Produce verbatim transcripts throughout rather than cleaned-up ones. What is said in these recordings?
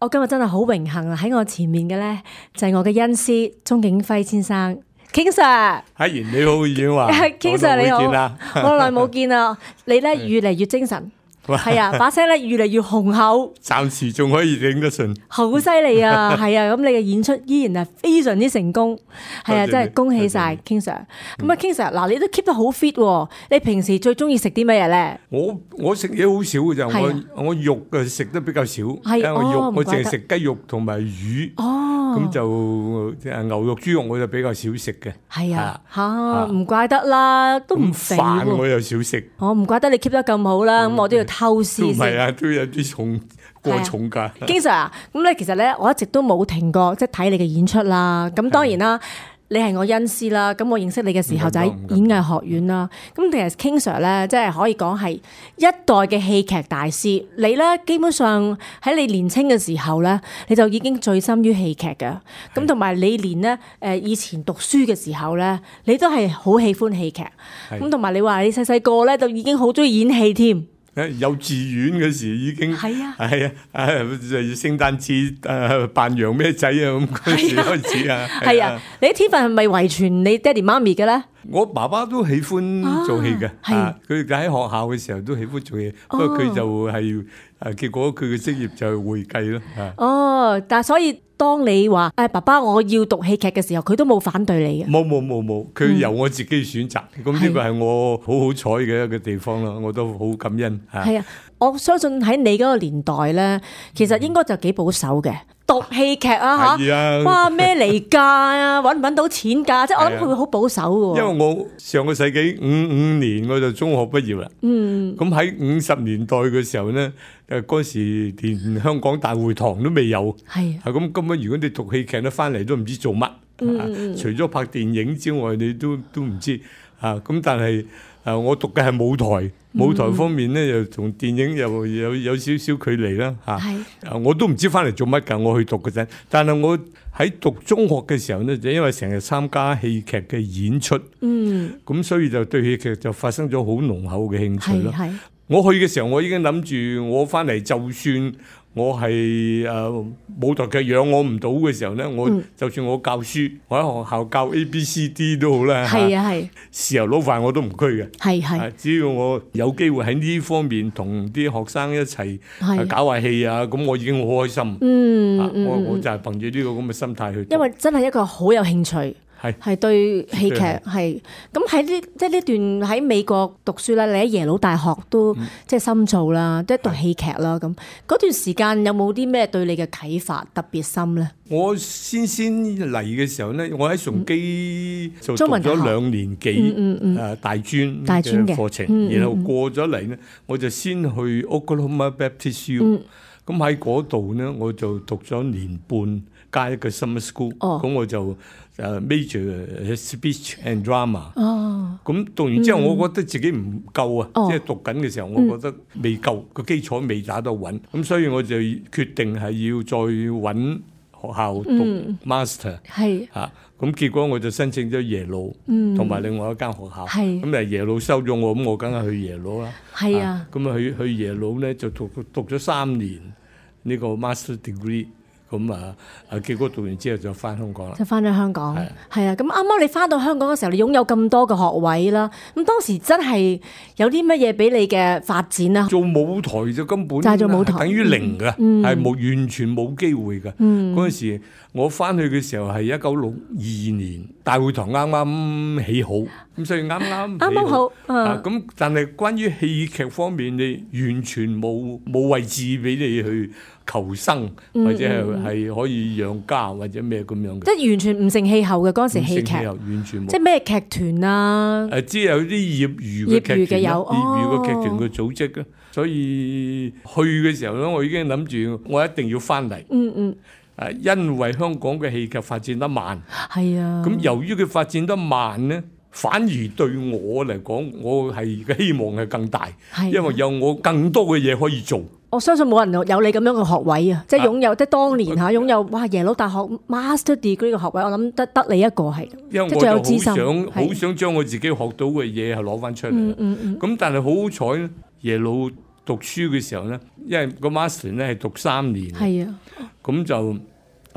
我今日真係好榮幸啊！喺我前面嘅咧就係我嘅恩師鐘景輝先生 King Sir。阿賢你好，遠華。King Sir 你好，好耐冇見啦！你咧越嚟越精神。係啊，把聲咧越嚟越雄厚，暫時仲可以頂得順，好犀利啊！係啊，咁你嘅演出依然係非常之成功，係啊，真係恭喜晒 King Sir。咁啊 King Sir，嗱你都 keep 得好 fit 喎，你平時最中意食啲乜嘢咧？我我食嘢好少嘅就，我我肉嘅食得比較少，因為我肉我淨係食雞肉同埋魚，咁就即係牛肉、豬肉我就比較少食嘅。係啊，嚇唔怪得啦，都唔肥喎。飯我又少食，我唔怪得你 keep 得咁好啦，咁我都要偷師先。唔係啊，都有啲重過重㗎。King Sir啊，咁咧其實咧，我一直都冇停過，即係睇你嘅演出啦。咁當然啦，你係我恩師啦。咁我認識你嘅時候就喺演藝學院啦。咁其實 King Sir 咧，即係可以講係一代嘅戲劇大師。你咧基本上喺你年青嘅時候咧，你就已經醉心於戲劇嘅。咁同埋你連咧誒以前讀書嘅時候咧，你都係好喜歡戲劇。咁同埋你話你細細個咧就已經好中意演戲添。幼稚園嗰時已經係啊，係啊，就聖誕節誒扮洋咩仔啊咁嗰時開始啊。係啊，你啲天分係咪遺傳你爹哋媽咪嘅咧？我爸爸都喜歡做戲嘅，係佢喺學校嘅時候都喜歡做嘢，不過佢就係誒結果佢嘅職業就係會計咯。哦，但係所以當你話誒爸爸我要讀戲劇嘅時候，佢都冇反對你嘅。冇冇冇冇，佢由我自己選擇，咁呢個係我好好彩嘅一個地方啦，我都好感恩嚇。係啊，我相信喺你嗰個年代咧，其實應該就幾保守嘅。讀戲劇啊嚇，哇咩離價啊，揾唔揾到錢㗎？即係我諗佢會好保守嘅喎。因為我上個世紀五五年我就中學畢業啦。嗯。咁喺五十年代嘅時候咧，誒嗰時連香港大會堂都未有。係。係咁，根本如果你讀戲劇咧，翻嚟都唔知做乜。嗯。除咗拍電影之外，你都都唔知啊。咁但係誒，我讀嘅係舞台。舞台方面咧，又同電影又有有少少距離啦嚇。係。我都唔知翻嚟做乜㗎，我去讀嗰陣。但係我喺讀中學嘅時候咧，就因為成日參加戲劇嘅演出，嗯，咁所以就對戲劇就發生咗好濃厚嘅興趣咯。係。我去嘅時候，我已經諗住我翻嚟就算。我係誒舞台劇養我唔到嘅時候咧，我就算我教書，我喺學校教 A B C D 都好啦。係啊係，豉油撈飯我都唔拘嘅。係係，只要我有機會喺呢方面同啲學生一齊搞下戲啊，咁我已經好開心。嗯嗯，我我就係憑住呢個咁嘅心態去。因為真係一個好有興趣。係係對戲劇係咁喺呢即係呢段喺美國讀書啦，你喺耶魯大學都即係深造啦，即係讀戲劇啦咁。嗰段時間有冇啲咩對你嘅啟發特別深咧？我先先嚟嘅時候咧，我喺崇基就讀咗兩年幾誒大專嘅課程，然後過咗嚟咧，我就先去 Oklahoma Baptist U，咁喺嗰度咧我就讀咗年半加一個 summer school，咁我就。誒 major speech and drama，咁讀完之後，我覺得自己唔夠啊，即係讀緊嘅時候，我覺得未夠個基礎未打得穩，咁所以我就決定係要再揾學校讀 master，係嚇，咁結果我就申請咗耶魯，同埋另外一間學校，咁誒耶魯收咗我，咁我梗係去耶魯啦，係啊，咁啊去去耶魯咧就讀讀咗三年呢個 master degree。咁啊，啊結果讀完之後就翻香港啦，就翻咗香港，係啊。咁啱啱你翻到香港嘅時候，你擁有咁多嘅學位啦。咁當時真係有啲乜嘢俾你嘅發展啊？做舞台就根本就係做舞台，等於零㗎，係冇完全冇機會㗎。嗰陣時我翻去嘅時候係一九六二年，大會堂啱啱起好，咁所以啱啱啱啱好啊。咁但係關於戲劇方面，你完全冇冇位置俾你去求生，或者係係可以養家或者咩咁樣嘅，即係完全唔成氣候嘅嗰陣時戲劇，完全冇，即係咩劇團啊？誒，只有啲業餘嘅劇團，業餘嘅劇團嘅組織啊。所以去嘅時候咧，我已經諗住我一定要翻嚟。嗯嗯。誒，因為香港嘅戲劇發展得慢，係啊。咁由於佢發展得慢咧，反而對我嚟講，我係嘅希望係更大，因為有我更多嘅嘢可以做。我相信冇人有你咁樣嘅學位啊，即係擁有即係當年嚇擁有哇耶魯大學 Master Degree 嘅學位，我諗得得你一個係，因為我就好想好想將我自己學到嘅嘢係攞翻出嚟。嗯嗯嗯。咁但係好好彩咧，耶魯讀書嘅時候咧，因為個 Master 咧係讀三年，係啊。咁就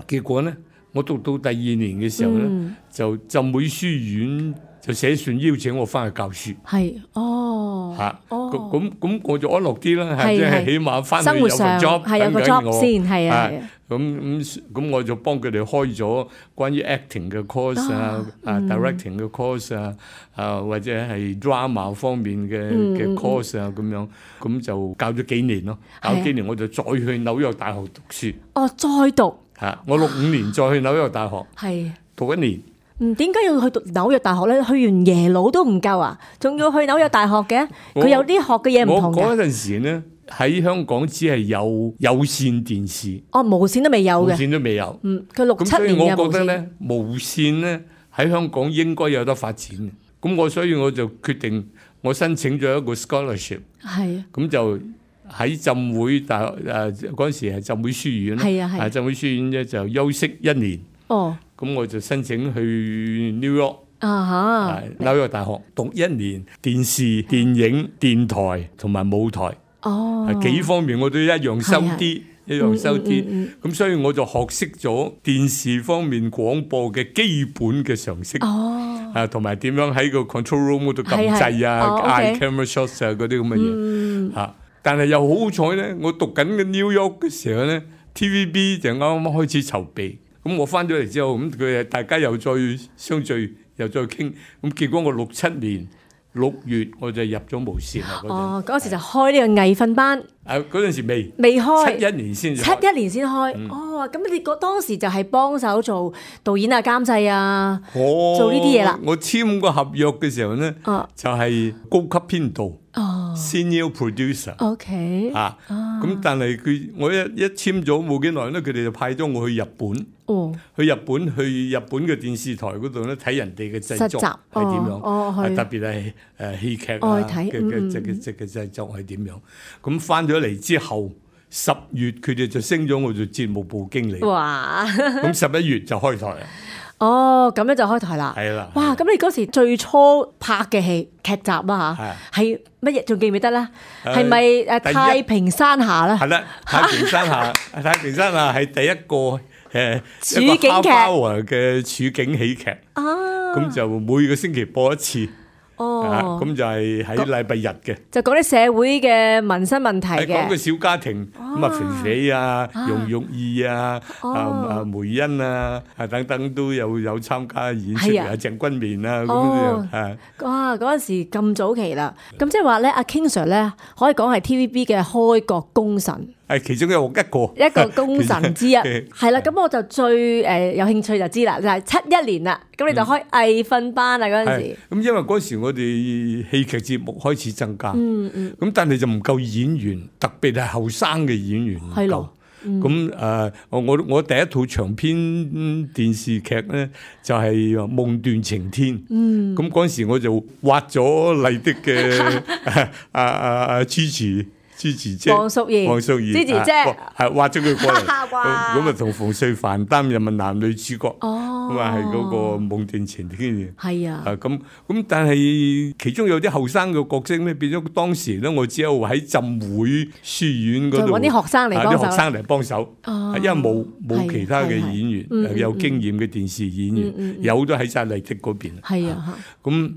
結果咧，我讀到第二年嘅時候咧，嗯、就浸會書院就寫信邀請我翻去教書。係哦，嚇，哦，咁咁我就安樂啲啦，係即係起碼翻去有個 job，係有個 job 先，係啊。咁咁咁我就幫佢哋開咗關於 acting 嘅 course 啊，啊 directing 嘅 course 啊，啊或者係 drama 方面嘅嘅 course 啊咁樣，咁就教咗幾年咯。教幾年我就再去紐約大學讀書。哦，再讀。嚇！我六五年再去紐約大學，係讀一年。嗯，點解要去讀紐約大學咧？去完耶魯都唔夠啊，仲要去紐約大學嘅？佢有啲學嘅嘢唔同嘅。我嗰陣時咧喺香港只係有有線電視，哦，無線都未有嘅，無線都未有。嗯，佢六七年嘅無線。咁所以我覺得咧，無線咧喺香港應該有得發展嘅。咁我所以我就決定我申請咗一個 scholarship，係咁就喺浸會大學誒嗰陣時係浸會書院啦，係啊係，浸會書院咧就休息一年。哦，咁我就申請去 New York 啊嚇，紐約大學讀一年電視、電影、電台同埋舞台。哦，幾方面我都一樣收啲，一樣收啲。咁所以我就學識咗電視方面廣播嘅基本嘅常識。哦，啊同埋點樣喺個 control room 嗰度撳掣啊、嗌 camera shots 啊嗰啲咁嘅嘢。嚇，但係又好彩咧，我讀緊嘅 New York 嘅時候咧 ，T V B 就啱啱開始籌備。咁我翻咗嚟之後，咁佢大家又再相聚，又再傾。咁結果我六七年六月我就入咗無線啦。哦，嗰時就開呢個藝訓班。誒，嗰陣時未未開，七一年先。七一年先開。嗯、哦，咁你嗰當時就係幫手做導演啊、監製啊，哦、做呢啲嘢啦。我簽個合約嘅時候咧，哦、就係高級編導。哦、senior producer。OK。啊，咁、啊、但係佢我一一簽咗冇幾耐咧，佢哋就派咗我去日本。哦。去日本去日本嘅電視台嗰度咧睇人哋嘅製作係點樣？哦，哦特別係誒戲劇啊嘅嘅即嘅即嘅製作係點樣？咁翻咗嚟之後，十月佢哋就升咗我做節目部經理。哇！咁十一月就開台啦。哦，咁樣就開台啦。係啦。哇！咁你嗰時最初拍嘅戲劇集啦嚇，係乜嘢？仲記唔記得咧？係咪誒太平山下咧？係啦，太平山下，太平山下係第一個誒處境劇嘅處境喜劇。啊！咁就每個星期播一次。哦，咁就係喺禮拜日嘅，就講啲社會嘅民生問題嘅，講個小家庭咁啊，肥肥啊、容玉意啊、啊啊梅欣啊、啊等等都有有參加演出啊，鄭君綿啊咁樣啊。哇！嗰陣時咁早期啦，咁即係話咧，阿 King Sir 咧可以講係 T V B 嘅開國功臣。係其中有一個一個功臣之一，係啦。咁我就最誒有興趣就知啦，就係七一年啦。咁你就開藝訓班啦嗰陣時。咁因為嗰時我哋戲劇節目開始增加，嗯嗯。咁但係就唔夠演員，特別係後生嘅演員唔夠。咁誒，我我第一套長篇電視劇咧就係《夢斷情天》。嗯。咁嗰陣時我就挖咗麗的嘅阿阿阿 Gigi。支持姐，黃淑儀，黃淑儀，支持姐，係挖咗佢過嚟，咁啊同馮淬帆擔任啊男女主角，咁啊係嗰個夢斷情天嘅，係啊，咁咁但係其中有啲後生嘅角色咧，變咗當時咧，我只有喺浸會書院嗰度揾啲學生嚟幫手，啲學生嚟幫手，因為冇冇其他嘅演員有經驗嘅電視演員，有都喺晒麗的嗰邊，係啊，咁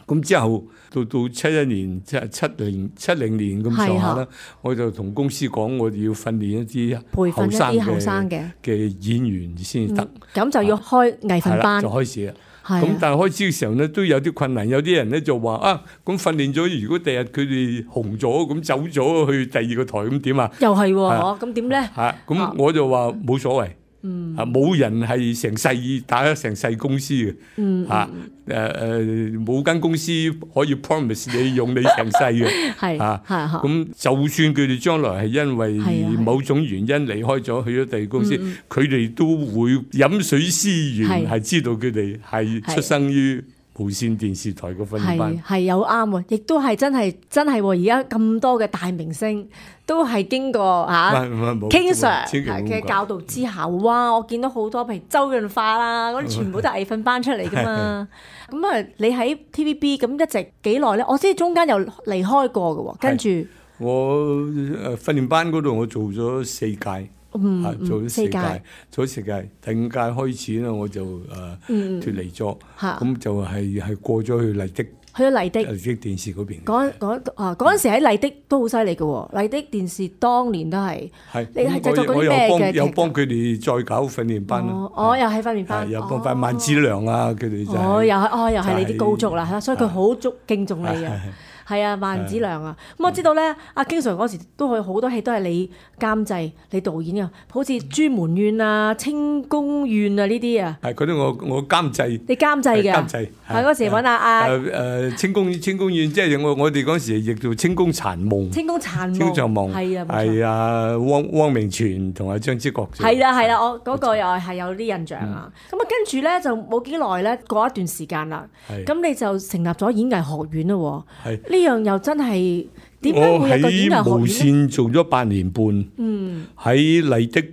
咁之後。到到七一年即係七零七零年咁上下啦，我就同公司講，我哋要訓練一啲培訓一啲後生嘅嘅演員先得。咁、嗯、就要開藝訓班，就開始啦。咁但係開始嘅時候咧，都有啲困難。有啲人咧就話啊，咁訓練咗，如果第日佢哋紅咗，咁走咗去第二個台，咁點啊？又係喎，咁點咧？嚇，咁我就話冇所謂。嗯，啊冇人係成世打咗成世公司嘅，嗯，嚇誒誒冇間公司可以 promise 你用你成世嘅，係啊，係咁就算佢哋將來係因為某種原因離開咗去咗第二公司，佢哋都會飲水思源，係知道佢哋係出生於無線電視台嘅訓練班，係有啱喎，亦都係真係真係喎！而家咁多嘅大明星都係經過嚇 King Sir 嘅教導之下，哇！我見到好多譬如周潤發啦，嗰啲全部都係藝訓班出嚟噶嘛。咁啊，你喺 T V B 咁一直幾耐咧？我知中間又離開過嘅喎，跟住我誒訓練班嗰度我做咗四屆。嗯，做咗四屆，屆做咗四屆，第五屆開始咧我就誒、呃嗯、脫離咗，咁、嗯、就係係過咗去麗的。去咗麗的麗的電視嗰邊，嗰嗰啊嗰陣時喺麗的都好犀利嘅喎，麗的電視當年都係，係你係製作嗰啲咩嘅劇集？有幫佢哋再搞訓練班咯。哦，又係訓練班，有幫翻萬梓良啊，佢哋就哦，又係哦，又係你啲高足啦，所以佢好足敬重你啊。係啊，萬梓良啊，咁我知道咧，阿 King Sir 嗰時都係好多戲都係你監製、你導演啊，好似《朱門怨》啊、《清宮怨》啊呢啲啊。係嗰啲我我監製。你監製嘅。監製。係嗰時揾阿阿。誒誒，清宮清宮怨，即係我我哋嗰時譯做《清宮殘夢》。清宮殘夢。清宮殘夢。係啊。係啊，汪汪明荃同阿張之國。係啦係啦，我嗰個又係有啲印象啊。咁啊，跟住咧就冇幾耐咧，過一段時間啦。係。咁你就成立咗演藝學院啦喎。係。呢樣又真係。點解會有個演藝學院咧？我喺無線做咗八年半，嗯，喺麗的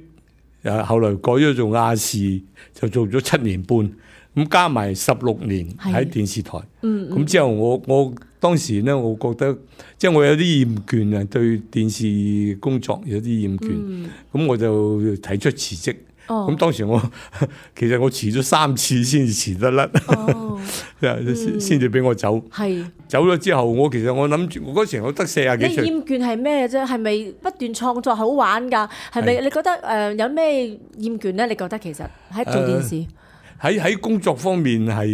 誒後來改咗做亞視，就做咗七年半，咁加埋十六年喺電視台。嗯，咁之後我我當時咧，我覺得即係我有啲厭倦啊，對電視工作有啲厭倦，咁、嗯、我就提出辭職。咁、哦、當時我其實我辭咗三次先至辭得甩，先至俾我走。係走咗之後，我其實我諗住，我嗰時我得四廿幾歲。你厭倦係咩啫？係咪不斷創作好玩㗎？係咪你覺得誒、呃、有咩厭倦咧？你覺得其實喺做電視？呃喺喺工作方面係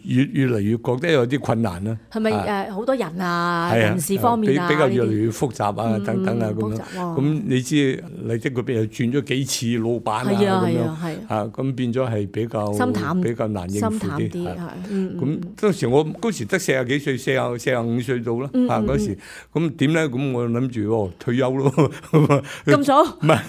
越越嚟越覺得有啲困難啦。係咪誒好多人啊？人事方面啊，比比較越嚟越複雜啊，等等啊咁樣。咁你知麗的嗰邊又轉咗幾次老闆啊咁樣，啊咁變咗係比較心淡，比較難應付啲。係咁當時我嗰時得四廿幾歲，四廿四廿五歲到啦。啊嗰時咁點咧？咁我諗住哦退休咯。咁早？唔係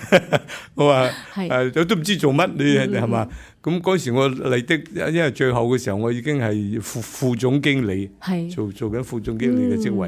我話誒，都唔知做乜你係嘛？咁嗰時我麗的，因為最後嘅時候我已經係副副總經理，做做緊副總經理嘅職位。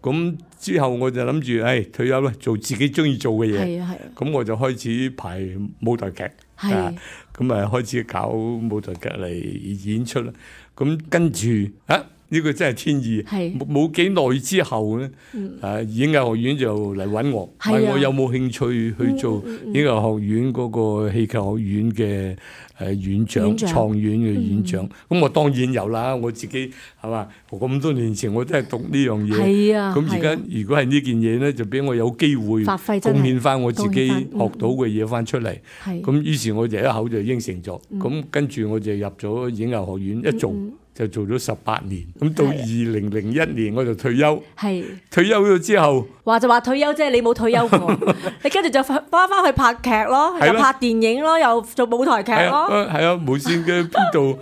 咁、嗯、之後我就諗住，誒、哎、退休啦，做自己中意做嘅嘢。咁我就開始排舞台劇，咁啊開始搞舞台劇嚟演出啦。咁跟住啊。呢個真係天意，冇冇幾耐之後咧，誒、嗯、演藝學院就嚟揾我，問、啊、我有冇興趣去做演藝學院嗰個戲劇學院嘅誒院長、創院嘅院長。咁、嗯、我當然有啦，我自己係嘛，咁多年前我都係讀呢樣嘢。咁而家如果係呢件嘢咧，就俾我有機會貢獻翻我自己學到嘅嘢翻出嚟。咁於是我就一口就應承咗。咁、嗯、跟住我就入咗演藝學院，一做。嗯就做咗十八年，咁到二零零一年我就退休。係退休咗之後，話就話退休，即係你冇退休過，你跟住就翻翻去拍劇咯，又拍電影咯，又做舞台劇咯。係啊，無線嘅邊度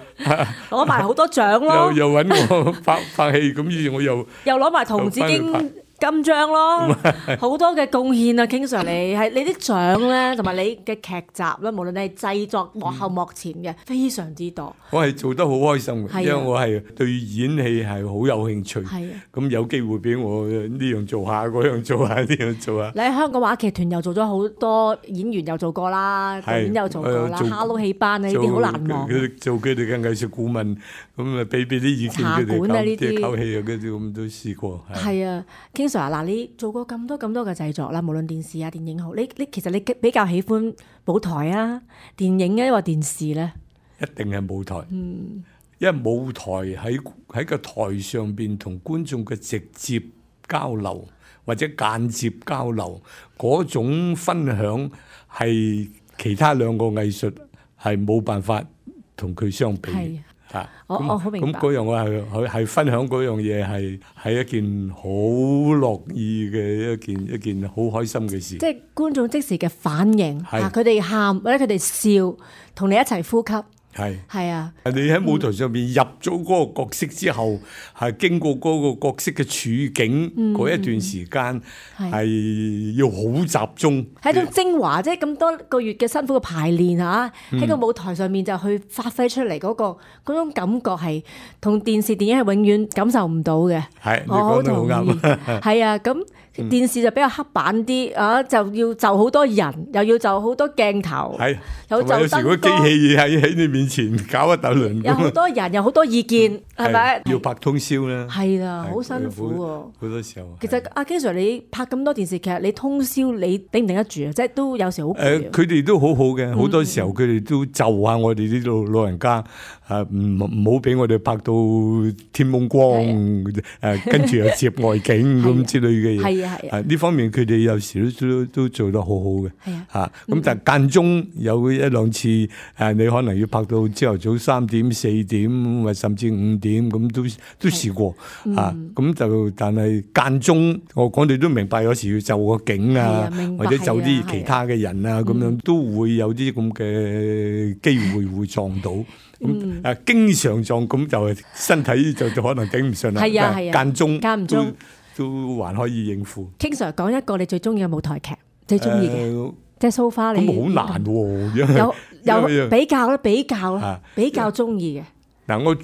攞埋好多獎咯。又又揾我拍拍戲，咁於是我又又攞埋銅紫荊金章咯，好多嘅貢獻啊 ，King Sir 你係你啲獎咧，同埋你嘅劇集咧，無論你係製作幕後幕前嘅，非常之多。我係做得好開心嘅，因為我係對演戲係好有興趣。係啊，咁有機會俾我呢樣做下，嗰樣做下，呢樣做下。你喺香港話劇團又做咗好多演員，又做過啦，導演又做過啦，哈囉戲班啊，呢啲好難忘。做佢哋嘅藝術顧問，咁啊俾俾啲意見佢哋搞啲搞戲啊，嗰啲咁都試過。係啊。嗱，你做過咁多咁多嘅製作啦，無論電視啊、電影好，你你其實你比較喜歡舞台啊、電影啊，抑或電視咧？一定係舞台，嗯，因為舞台喺喺個台上邊同觀眾嘅直接交流或者間接交流嗰種分享，係其他兩個藝術係冇辦法同佢相比。啊，我我好明白。咁嗰樣我係係係分享嗰樣嘢係係一件好樂意嘅一件一件好開心嘅事。即係觀眾即時嘅反應，啊，佢哋喊或者佢哋笑，同你一齊呼吸。係係啊！你喺舞台上邊入咗嗰個角色之後，係、嗯、經過嗰個角色嘅處境嗰、嗯、一段時間，係要好集中。係一種精華，即係咁多個月嘅辛苦嘅排練嚇，喺、嗯、個舞台上面就去發揮出嚟嗰、嗰個嗰種感覺係同電視電影係永遠感受唔到嘅。係，你講得好啱。係啊，咁電視就比較黑板啲啊，就要就好多人，又要就好多鏡頭，係有就有時個機器喺喺你面前搞一大輪，有好多人，有好多意見，係咪？要拍通宵咧，係啦，好辛苦喎。好多時候，其實阿 King Sir，你拍咁多電視劇，你通宵你頂唔頂得住啊？即係都有時好誒，佢哋都好好嘅，好多時候佢哋都就下我哋呢度老人家啊，唔唔好俾我哋拍到天蒙光誒，跟住又接外景咁之類嘅嘢。係啊係啊，呢方面佢哋有時都都都做得好好嘅。係啊，嚇咁但係間中有一兩次誒，你可能要拍到朝頭早三點四點，或甚至五點咁都都試過嚇。咁就但係間中，我講你都明白，有時要就個景啊，或者就啲其他嘅人啊，咁樣都會有啲咁嘅機會會撞到。咁誒經常撞咁就係身體就就可能頂唔順啦。係啊係啊，間中間唔中都還可以應付。King Sir，講一個你最中意嘅舞台劇，最中意嘅，即係 so far 你。咁好難喎，有有比較啦，比較啦，比較中意嘅。嗱，我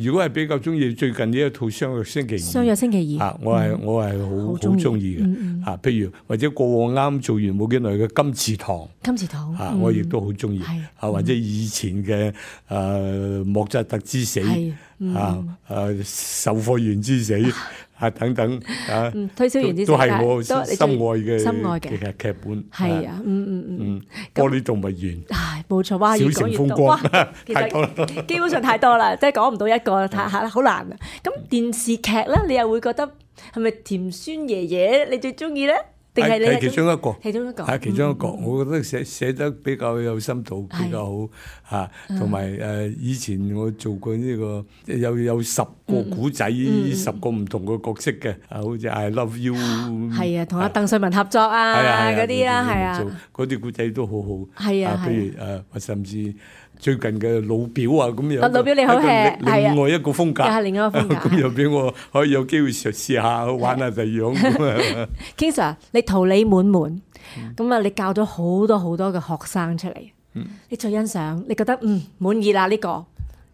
如果係比較中意最近呢一套《相約星期二》，相約星期二啊，我係我係好好中意嘅啊。譬如或者過往啱做完冇幾耐嘅《金池堂》，金池堂啊，我亦都好中意啊。或者以前嘅誒莫扎特之死啊，誒售貨員之死啊等等啊，推銷員之死都係我心愛嘅心愛嘅劇劇本。係啊，嗯嗯嗯，玻璃動物園，唉，冇錯，哇，越講越多，哇，其實基本上太多啦，即係講唔到一個，太嚇好難啊。咁電視劇咧，你又會覺得係咪甜酸爺爺你最中意咧？定係你係其中一個，其中一個係其中一個。我覺得寫寫得比較有深度，比較好嚇。同埋誒，以前我做過呢個有有十個古仔，十個唔同嘅角色嘅，啊，好似 I Love You，係啊，同阿鄧萃雯合作啊，嗰啲啦，係啊，嗰啲古仔都好好。係啊，譬如誒，甚至最近嘅老表啊，咁樣老表你好 hea，另外一個風格，又係另一個風格，咁又俾我可以有機會嘗試下玩下第二樣。King Sir，你桃李滿門，咁啊，你教咗好多好多嘅學生出嚟，你最欣賞，你覺得嗯滿意啦呢個，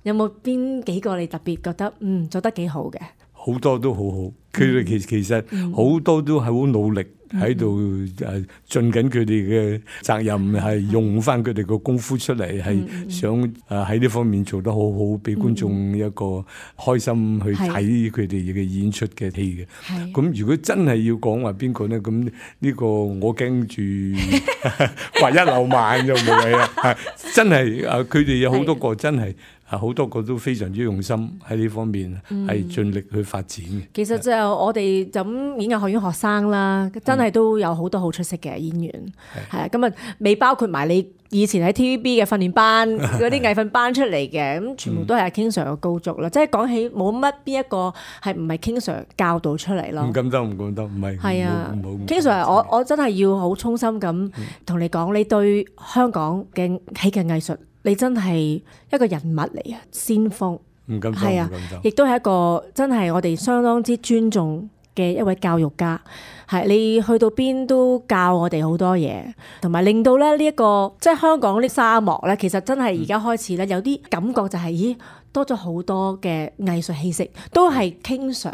有冇邊幾個你特別覺得嗯做得幾好嘅？好多都好好，佢哋其其實好多都係好努力。喺度誒盡緊佢哋嘅責任，係用翻佢哋嘅功夫出嚟，係想誒喺呢方面做得好好，俾觀眾一個開心去睇佢哋嘅演出嘅戲嘅。咁如果真係要講話邊個咧，咁呢個我驚住掛一漏萬就冇謂啦。真係誒，佢哋有好多個真係。啊！好多個都非常之用心喺呢方面，係盡力去發展嘅。其實就我哋就咁演藝學院學生啦，真係都有好多好出色嘅演員，係啊。咁啊，未包括埋你以前喺 T V B 嘅訓練班嗰啲藝訓班出嚟嘅，咁全部都係阿 King Sir 嘅高足啦。即係講起冇乜邊一個係唔係 King Sir 教導出嚟咯？唔敢得，唔敢得，唔係。係啊 ，King Sir，我我真係要好衷心咁同你講，你對香港嘅戲劇藝術。你真係一個人物嚟啊，先鋒，唔敢係啊，亦都係一個真係我哋相當之尊重嘅一位教育家。係你去到邊都教我哋好多嘢，同埋令到咧呢一個即係香港啲沙漠咧，其實真係而家開始咧有啲感覺就係、是、咦多咗好多嘅藝術氣息，都係 King Sir，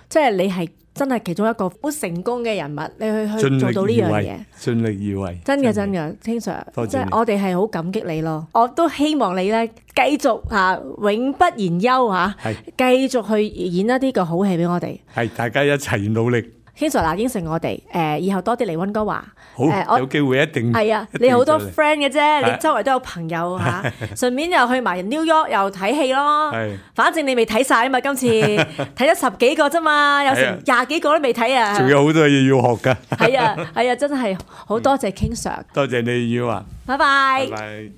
即係你係。真係其中一個好成功嘅人物，你去去做到呢樣嘢，盡力而為，真嘅真嘅，King Sir，即係我哋係好感激你咯。我都希望你咧繼續嚇永不言休嚇，繼續去演一啲個好戲俾我哋。係大家一齊努力。King Sir 嗱，應承我哋誒，以後多啲嚟溫哥華。好，有機會一定係啊！你好多 friend 嘅啫，你周圍都有朋友嚇，順便又去埋 New York 又睇戲咯。係，反正你未睇曬啊嘛，今次睇咗十幾個啫嘛，有成廿幾個都未睇啊。仲有好多嘢要學㗎。係啊係啊，真係好多謝 King Sir。多謝你，耀華。拜拜。拜拜。